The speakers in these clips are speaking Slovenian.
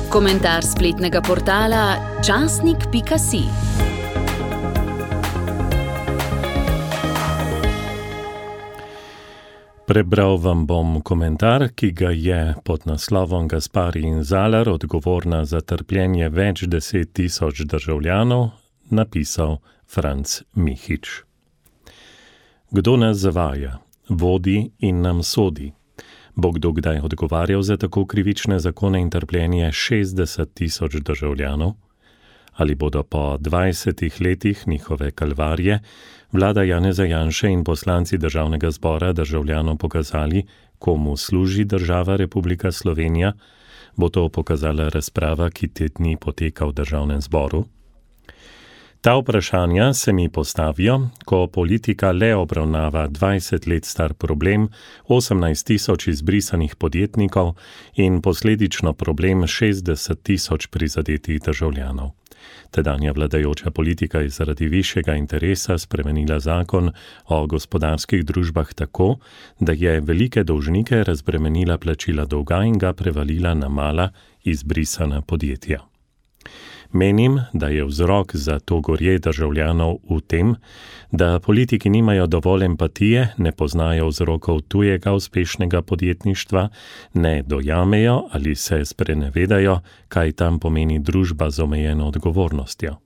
Komentar spletnega portala časnik.si. Prebral vam bom komentar, ki ga je pod naslovom Gaspari in Zalar, odgovorna za trpljenje več 10.000 državljanov, napisal Franc Mihič. Kdo nas zavaja, vodi in nam sodi? Bo kdo kdaj odgovarjal za tako krivične zakone in trpljenje 60.000 državljanov? Ali bodo po 20 letih njihove kalvarije vlada Janeza Janše in poslanci Državnega zbora državljanom pokazali, komu služi država Republika Slovenija? Bo to pokazala razprava, ki te dni poteka v Državnem zboru? Ta vprašanja se mi postavijo, ko politika le obravnava 20 let star problem 18.000 izbrisanih podjetnikov in posledično problem 60.000 prizadetih državljanov. Tedanja vladajoča politika je zaradi višjega interesa spremenila zakon o gospodarskih družbah tako, da je velike dolžnike razbremenila plačila dolga in ga prevalila na mala izbrisana podjetja. Menim, da je vzrok za to gorje državljanov v tem, da politiki nimajo dovolj empatije, ne poznajo vzrokov tujega uspešnega podjetništva, ne dojamejo ali se sprenevedajo, kaj tam pomeni družba z omejeno odgovornostjo.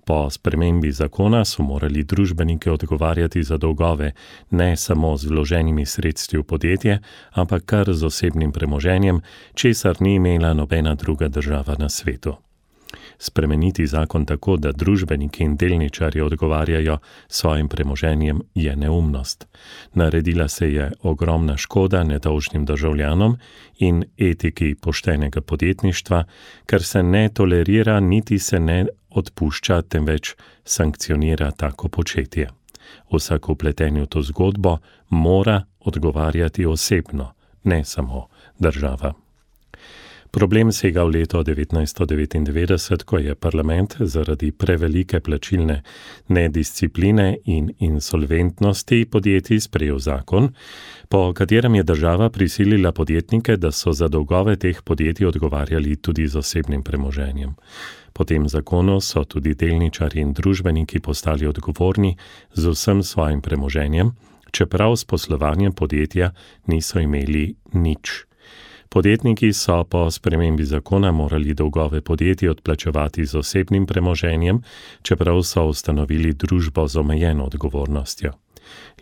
Po spremembi zakona so morali družbeniki odgovarjati za dolgove ne samo z vloženimi sredstvi v podjetje, ampak kar z osebnim premoženjem, česar ni imela nobena druga država na svetu. Spremeniti zakon tako, da družbeniki in delničarji odgovarjajo svojim premoženjem, je neumnost. Naredila se je ogromna škoda nedolžnim državljanom in etiki poštenega podjetništva, ker se ne tolerira niti se ne odpušča, temveč sankcionira tako početje. Vsak vpleten v to zgodbo mora odgovarjati osebno, ne samo država. Problem sega v leto 1999, ko je parlament zaradi prevelike plačilne nediscipline in insolventnosti podjetij sprejel zakon, po katerem je država prisilila podjetnike, da so za dolgove teh podjetij odgovarjali tudi z osebnim premoženjem. Po tem zakonu so tudi delničarji in družbeniki postali odgovorni z vsem svojim premoženjem, čeprav s poslovanjem podjetja niso imeli nič. Podjetniki so po spremembi zakona morali dolgove podjetij odplačevati z osebnim premoženjem, čeprav so ustanovili družbo z omejeno odgovornostjo.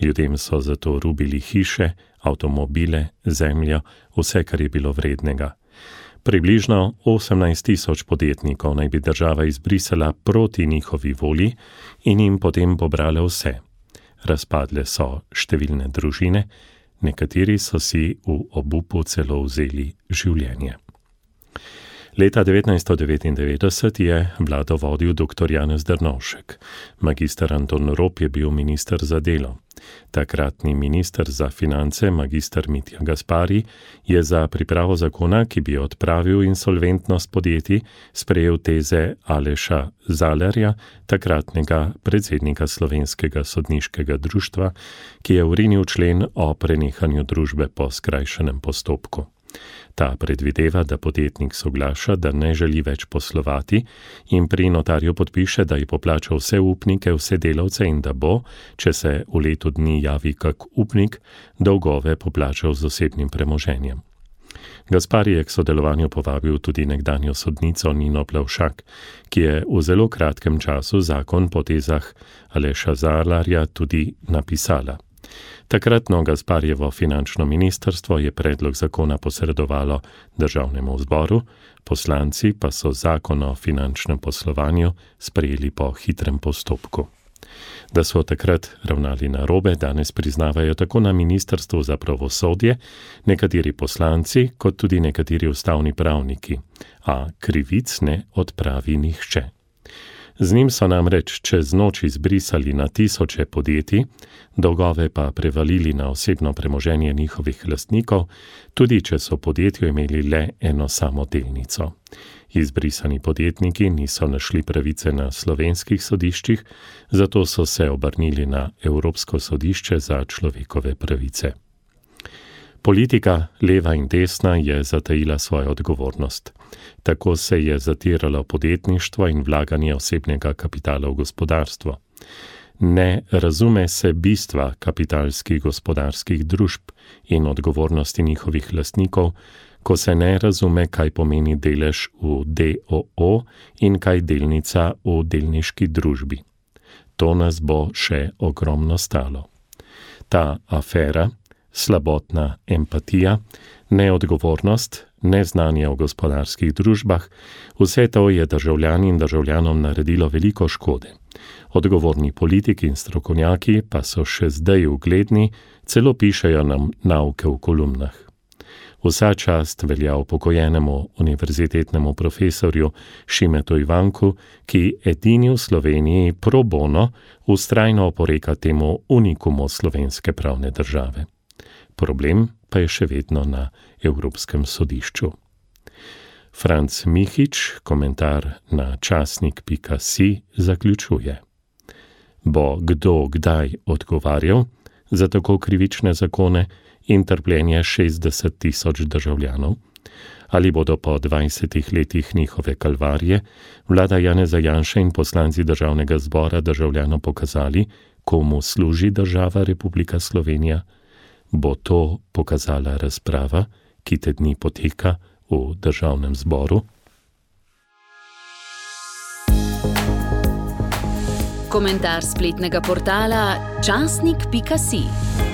Ljudem so zato rubili hiše, avtomobile, zemljo, vse, kar je bilo vrednega. Približno 18.000 podjetnikov naj bi država izbrisala proti njihovi volji in jim potem pobrala vse. Razpadle so številne družine, nekateri so si v obupu celo vzeli življenje. Leta 1999 je vlado vodil dr. Janez Drnovšek. Magister Anton Rop je bil minister za delo. Takratni minister za finance, magister Mitja Gaspari, je za pripravo zakona, ki bi odpravil insolventnost podjetij, sprejel teze Aleša Zalarja, takratnega predsednika Slovenskega sodniškega društva, ki je vrinil člen o prenehanju družbe po skrajšanem postopku. Ta predvideva, da podjetnik soglaša, da ne želi več poslovati in pri notarju podpiše, da je poplačal vse upnike, vse delavce in da bo, če se v letu dni javi kak upnik, dolgove poplačal z osebnim premoženjem. Gaspari je k sodelovanju povabil tudi nekdanjo sodnico Nino Plavšak, ki je v zelo kratkem času zakon po tezah Aleša Zalarja tudi napisala. Takratno Gasparjevo finančno ministrstvo je predlog zakona posredovalo Državnemu zboru, poslanci pa so zakon o finančnem poslovanju sprejeli po hitrem postopku. Da so takrat ravnali narobe, danes priznavajo tako na Ministrstvu za pravosodje, nekateri poslanci, kot tudi nekateri ustavni pravniki, a krivic ne odpravi nihče. Z njim so namreč čez noč izbrisali na tisoče podjetij, dolgove pa prevalili na osebno premoženje njihovih lastnikov, tudi če so podjetju imeli le eno samo delnico. Izbrisani podjetniki niso našli pravice na slovenskih sodiščih, zato so se obrnili na Evropsko sodišče za človekove pravice. Politika, leva in desna, je zatajila svojo odgovornost. Tako se je zatiralo podjetništvo in vlaganje osebnega kapitala v gospodarstvo. Ne razume se bistva kapitalskih gospodarskih družb in odgovornosti njihovih lastnikov, ko se ne razume, kaj pomeni delež v DOO in kaj delnica v delniški družbi. To nas bo še ogromno stalo. Ta afera, slabotna empatija, neodgovornost, neznanje o gospodarskih družbah, vse to je državljani in državljanom naredilo veliko škode. Odgovorni politiki in strokovnjaki pa so še zdaj ugledni, celo pišejo nam nauke v kolumnah. Vsa čast velja upokojenemu univerzitetnemu profesorju Šimetu Ivanku, ki edini v Sloveniji pro bono vztrajno oporeka temu unikumu slovenske pravne države. Problem pa je še vedno na Evropskem sodišču. Franc Mihič, komentar na časnik.si, zaključuje. Bo kdo kdaj odgovarjal za tako krivične zakone in trpljenje 60 000 državljanov? Ali bodo po 20 letih njihove kalvarije vlada Janeza Janše in poslanci Državnega zbora državljanom pokazali, komu služi država Republika Slovenija? Bo to pokazala razprava, ki te dni poteka v Državnem zboru? Komentar spletnega portala časnik.si.